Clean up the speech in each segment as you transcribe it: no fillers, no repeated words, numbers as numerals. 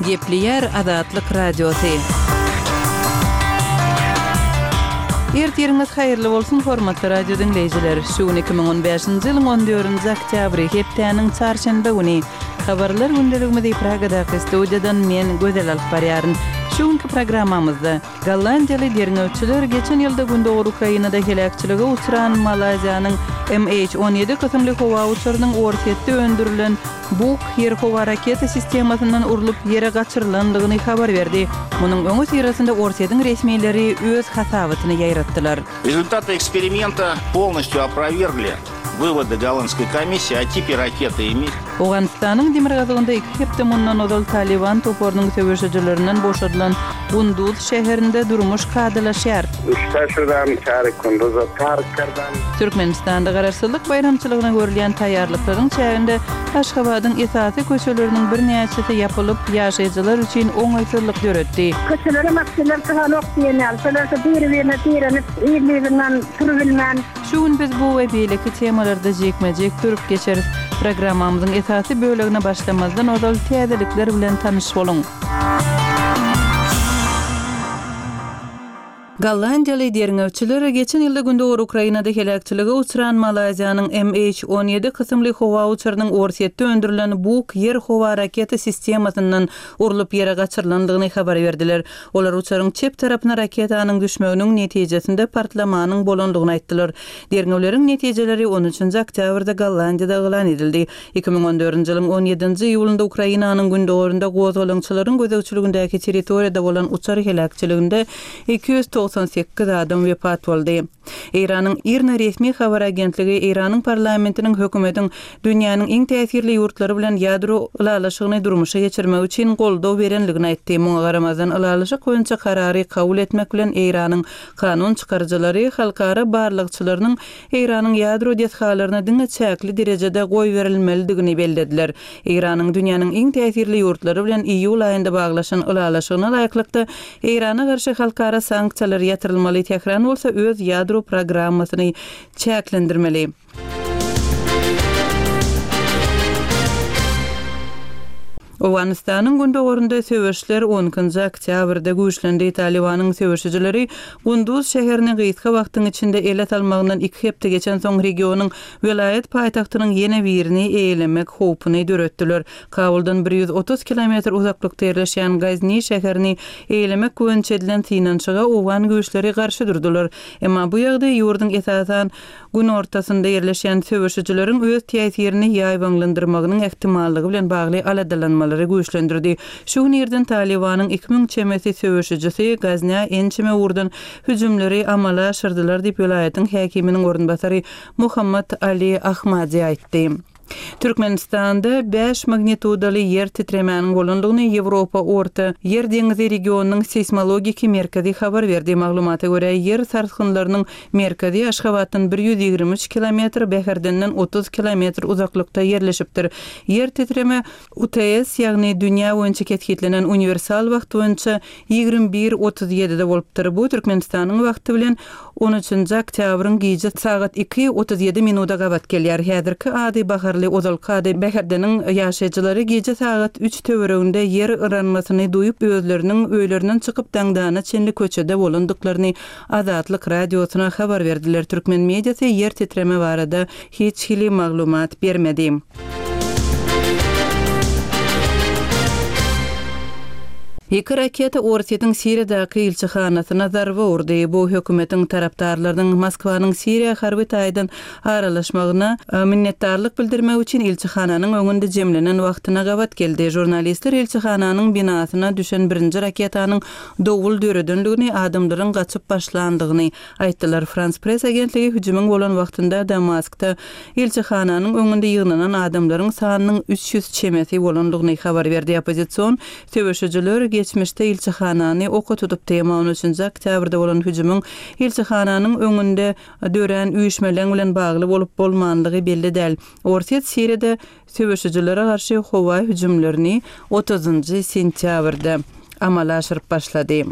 Gepleýär Azatlyk Radiosy. Ertiriňiz haýyrly bolsun, hormatly radio diňleýjiler! Şu gün 2015-nji ýylyň on dördünji oktýabry, hepdäniň çarşenbe güni. Habarlar gündeligimizi Pragadaky studiýadan men, Gözel alyp barýaryn. Şu günki programmamyzda. Gollandiýaly derňewçiler geçen ýylda gündogar Ukrainada heläkçilige uçran Malaýziýanyň MH 17 kysymly howa uçarynyň Orsýetde öndürilen Buk ýer-howa raketa sistemasyndan urlup ýere gaçyrylandygyny habar berdi. Munuň öňüsyrasynda Orsýetiň resmileri öz hasabatyny ýaýratdylar. Rezultaty eksperimenta polnostýu oprawiergli Wywody gollandskoý komissiýi o tipe rakety i mih. Owganystanyň demirgazygynda iki hepde mundan ozal Talyban toparynyň söweşijilerinden boşadylan Gunduz şäherinde durmuş kadalaşýar. Uçsa şudam çary Kunduza tark kardam. Türkmenistanda Garaşsyzlyk baýramçylygyna görülýän taýýarlyklaryň çäginde Aşgabadyň esasy köçeleriniň birnäçesi ýapylyp, ýaşaýjylar üçin oňaýsyzlyk döretdi. Köçelere maşynlar çykanok diýen ýaly. Şolar şu biri-birine direnip, yzly-yzyndan sürübilmän. Şu gün biz bu we beýleki temalarda jikme-jik durup geçeris. Programmamyzyň esasy bölegine başlamazdan ozal täzelikler bilen tanyş boluň. Gollandiýaly derňewçiler geçen ýylda gündogar Ukrainada heläkçilige uçran Malaýziýanyň MH 17 kysymly howa uçarynyň Orsýetde öndürilen Buk ýer-howa raketa sistemasyndan urlup ýere gaçyrylandygyny habar berdiler. Olar uçaryň çep tarapyna raketanyň düşmeginiň netijesinde partlamanyň bolandygyny aýtdylar. Derňewleriň netijeleri on üçünji oktýabrda Gollandiýada yglan edildi. 2014-nji ýylyň on ýedinji iýulynda Ukrainanyň gündogarynda gozgalaňçylaryň gözegçiligindäki territoriýada bolan uçar heläkçiliginde 298 adam wepat boldy. Eýranyň IRNA resmi habar agentligi Eýranyň parlamentiniň hökümetiň dünýäniň iň täsirli ýurtlary bilen ýadro ylalaşygyny durmuşa geçirmek üçin goldaw berenligini aýtdy. Muňa garamazdan, ylalaşyk boýunça karary kabul etmek bilen Eýranyň kanun çykaryjylary halkara barlagçylarynyň Eýranyň ýadro desgalaryna diňe çäkli derejede goýberilmelidigini bellediler. Eýranyň dünýäniň iň täsirli ýurtlary bilen iýul aýynda baglaşan ylalaşygyna laýyklykda, Eýrana garşy halkara sanksiýalar ýatyrylmaly, Tähran bolsa öz ýadro programmasyny çäklendirmeli. Owganystanyň gündogarynda söweşler on ikinji oktýabrda güýçlendi. Talybanyň söweşijileri Gunduz şäherini gysga wagtyň içinde ele salmagyndan iki hepde geçensoň regionyň welaýat paýtagtynyň ýene birini eýelemek howpuny döretdiler. Kabuldan 130 kilometr uzaklykda ýerleşýän Gazni şäherini eýelemek boýunça edilen synanyşyga owgan güýçleri garşy durdular. Emma bu ýagdaý ýurduň esasan günortasynda ýerleşýän söweşijileriň öz täsirini ýaýbaňlandyrmagynyň ähtimallygy bilen bagly aladalanmalary güýçlendirdi. Şu gün irden Talybanyň 2000 çemesi söweşijisi Gaznä ençeme ugurdan hüjümleri amala aşyrdylar diýip, welaýatyň häkiminiň orunbasary Mohammad Ali Ahmadi aýtdy. Türkmenistanda bäş magnitudaly ýer titremäniň bolandygyny Ýewropa Orta Ýer deňizi regionynyň seýsmologiki merkezi habar berdi. Maglumata görä, ýer sarsgynlarynyň merkezi Aşgabatdan 123 kilometr, Bäherdenden 30 kilometr uzaklykda ýerleşipdir. Ýer titreme UTS, ýagny dünýä boýunça kesgitlenen uniwersal wagt boýunça 21, 37-de bolupdyr. Bu Türkmenistanyň wagty bilen on üçünji oktýabryň gije sagat iki, 37 minuda gabat gelýär. Häzirki ady Baharly, ozalky ady Bäherdeniň ýaşaýjylary gije sagat üç töwereginde ýer yranmasyny duýup, özleriniň öýlerinden çykyp daňdana çenli köçede bolandyklaryny Azatlyk Radiosyna habar berdiler. Türkmen mediasy ýer titreme barada hiç hili maglumat bermedi. Iki raketa Orsýetiň Siriýadaky ilçihanasyna zarba urdy. Bu hökümetiň tarapdarlarynyň Moskwanyň Siriýa harby taýdan aralaşmagyna minnetdarlyk bildirmek üçin ilçihananyň öňünde jemlenen wagtyna gabat geldi. Žurnalistler ilçihananyň binasyna düşen birinji raketanyň dowul döredendigini, adamlaryň gaçyp başlandygyny aýtdylar. Frans Press agentligi hüjümiň bolan wagtynda Damaskda ilçihananyň öňünde ýygnanan adamlaryň sanynyň 300 çemesi bolandygyny habar berdi. Oppozision söweşijiler geçmişde ilçihanany oka tutupdy, emma on üçünji oktýabrda bolan hüjümiň ilçihananyň öňünde dörän üýşmeleň bilen bagly bolup-bolmanlygy belli däl. Orsýet Siriýada söweşijilere garşy howa hüjümlerini otuzynjy sentýabrda amala aşyryp başlady.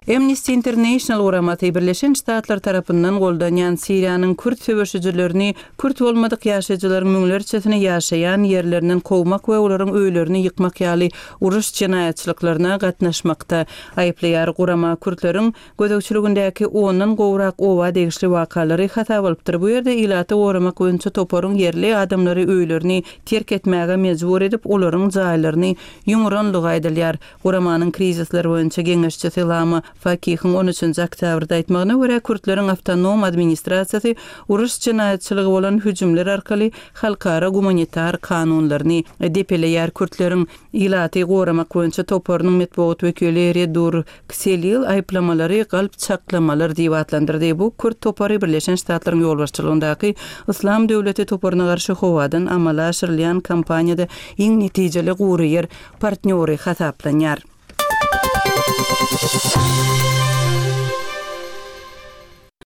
Amnesty International guramasy Birleşen Ştatlar tarapyndan goldanýan Siriýanyň kürt söweşijilerini kürt bolmadyk ýaşaýjylaryň müňlerçesini ýaşaýan ýerlerinden kowmak we olaryň öýlerini ýykmak ýaly uruş jenaýatçylyklaryna gatnaşmakda aýyplaýar. Gurama kürtleriň gözegçiligindäki ondan gowrak oba degişli wakalary hasaba alypdyr. Bu ýerde ilaty goramak boýunça toparyň ýerli adamlary öýlerini terk etmäge mejbur edip, olaryň jaýlaryny ýumuranlygy aýdylýar. Guramanyň krizisler boýunça geňeşçisi Lama Fakihiň on üçünji oktýabrda aýtmagyna görä, kürtleriň awtonom administrasiýasy uruş jenaýatçylygy bolan hüjümler arkaly halkara gumanitar kanunlaryny depeleýär. Kürtleriň ilaty goramak boýunça toparynyň metbugat wekili Redur Kselil aýyplamalary galp çaklamalar diýip atlandyrdy. Bu kürt topary Birleşen Ştatlaryň ýolbaşçylygyndaky Yslam döwleti toparyna garşy howadan amala aşyrylýan kampaniýada iň netijeli gury ýer partnýory hasaplanýar.